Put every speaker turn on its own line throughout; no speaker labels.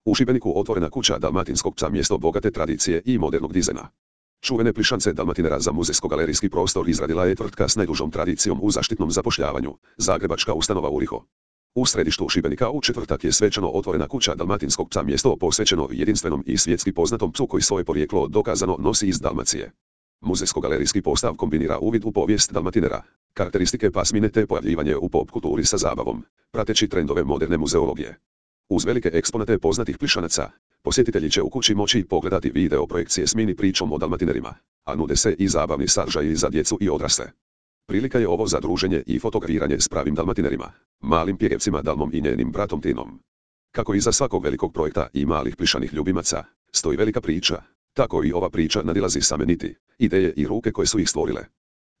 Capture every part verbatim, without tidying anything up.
U Šibeniku otvorena kuća dalmatinskog psa, mjesto bogate tradicije i modernog dizajna. Čuvene plišance Dalmatinera za muzejsko-galerijski prostor izradila je tvrtka s najdužom tradicijom u zaštitnom zapošljavanju, zagrebačka ustanova Uriho. U središtu Šibenika u četvrtak je svečano otvorena kuća dalmatinskog psa, mjesto posvećeno jedinstvenom i svjetski poznatom psu koji svoje porijeklo dokazano nosi iz Dalmacije. Muzejsko-galerijski postav kombinira uvid u povijest Dalmatinera, karakteristike pasmine te pojavljivanje u pop kulturi sa zabavom, prateći trendove moderne muzeologije. Uz velike eksponate poznatih plišanaca, posjetitelji će u kući moći pogledati video projekcije s mini pričom o Dalmatinerima, a nude se i zabavni sadržaji za djecu i odrasle. Prilika je ovo za druženje i fotografiranje s pravim Dalmatinerima, malim pjevcima Dalmom i njenim bratom Tinom. Kako iza svakog velikog projekta i malih plišanih ljubimaca stoji velika priča, tako i ova priča nadilazi same niti, ideje i ruke koje su ih stvorile.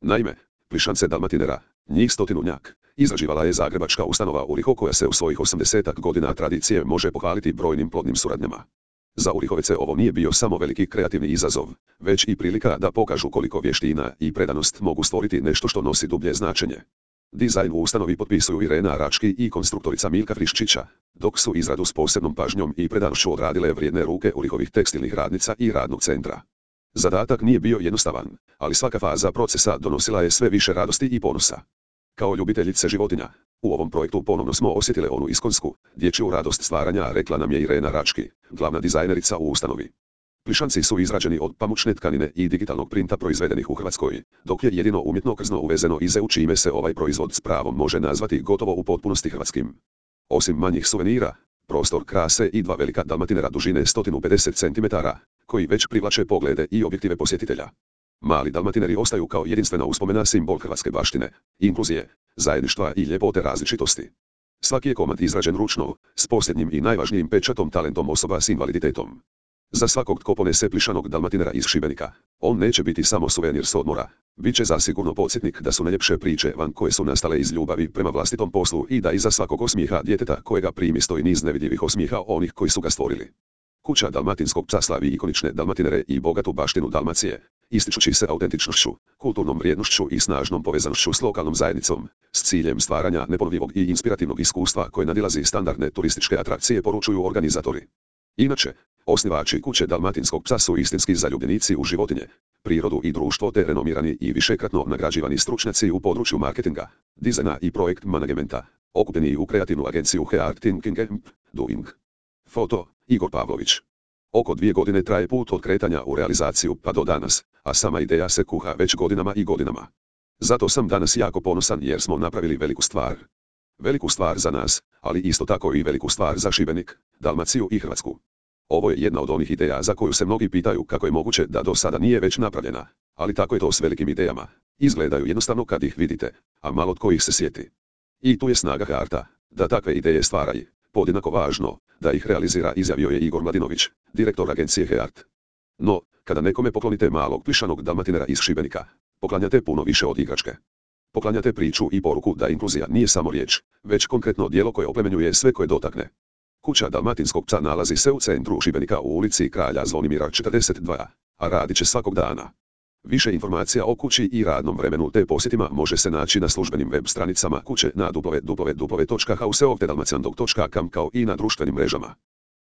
Naime, plišance Dalmatinera, njih stotinunjak, izrađivala je zagrebačka ustanova Uriho koja se u svojih osamdesetak godina tradicije može pohvaliti brojnim plodnim suradnjama. Za Urihovece ovo nije bio samo veliki kreativni izazov, već i prilika da pokažu koliko vještina i predanost mogu stvoriti nešto što nosi dublje značenje. Dizajn u ustanovi potpisuju Irena Rački i konstruktorica Milka Friščića, dok su izradu s posebnom pažnjom i predanošću odradile vrijedne ruke Urihovih tekstilnih radnica i radnog centra. Zadatak nije bio jednostavan, ali svaka faza procesa donosila je sve više radosti i ponosa. Kao ljubiteljice životinja, u ovom projektu ponovno smo osjetile onu iskonsku, dječju radost stvaranja, rekla nam je Irena Rački, glavna dizajnerica u ustanovi. Plišanci su izrađeni od pamučne tkanine i digitalnog printa proizvedenih u Hrvatskoj, dok je jedino umjetno krzno uvezeno iz E U, čime se ovaj proizvod s pravom može nazvati gotovo u potpunosti hrvatskim. Osim manjih suvenira, prostor krase i dva velika Dalmatinera dužine sto pedeset centimetara, koji već privlače poglede i objektive posjetitelja. Mali Dalmatineri ostaju kao jedinstvena uspomena, simbol hrvatske baštine, inkluzije, zajedništva i ljepote različitosti. Svaki je komad izrađen ručno, s posljednjim i najvažnijim pečatom talentom osoba s invaliditetom. Za svakog tko ponese plišanog Dalmatinera iz Šibenika, on neće biti samo suvenir s odmora, bit će zasigurno podsjetnik da su najljepše priče van koje su nastale iz ljubavi prema vlastitom poslu i da iza svakog osmijeha djeteta kojega primi stoji niz nevidljivih osmijeha onih koji su ga stvorili. Kuća dalmatinskog psa slavi ikonične Dalmatinere i bogatu baštinu Dalmacije, ističući se autentičnošću, kulturnom vrijednošću i snažnom povezanošću s lokalnom zajednicom, s ciljem stvaranja neponovljivog i inspirativnog iskustva koje nadilazi standardne turističke atrakcije, poručuju organizatori. Inače, osnivači kuće dalmatinskog psa su istinski zaljubljenici u životinje, prirodu i društvo te renomirani i višekratno nagrađivani stručnjaci u području marketinga, dizajna i projekt managementa, okupljeni u kreativnu agenciju Heart Thinking and Doing. Foto, Igor Pavlović. Oko dvije godine traje put od kretanja u realizaciju pa do danas, a sama ideja se kuha već godinama i godinama. Zato sam danas jako ponosan jer smo napravili veliku stvar. Veliku stvar za nas, ali isto tako i veliku stvar za Šibenik, Dalmaciju i Hrvatsku. Ovo je jedna od onih ideja za koju se mnogi pitaju kako je moguće da do sada nije već napravljena, ali tako je to s velikim idejama. Izgledaju jednostavno kad ih vidite, a malo tko ih se sjeti. I tu je snaga Hearta, da takve ideje stvaraju. Podjednako važno, da ih realizira, izjavio je Igor Mladinović, direktor agencije Heart. No, kada nekome poklonite malog plišanog Dalmatinera iz Šibenika, poklanjate puno više od igračke. Poklanjate priču i poruku da inkluzija nije samo riječ, već konkretno djelo koje oplemenjuje sve koje dotakne. Kuća dalmatinskog psa nalazi se u centru Šibenika u ulici Kralja Zvonimira četrdeset dva, a radit će svakog dana. Više informacija o kući i radnom vremenu te posjetima može se naći na službenim web stranicama kuće na w w w točka houseofthedalmaciandog točka com kao i na društvenim mrežama.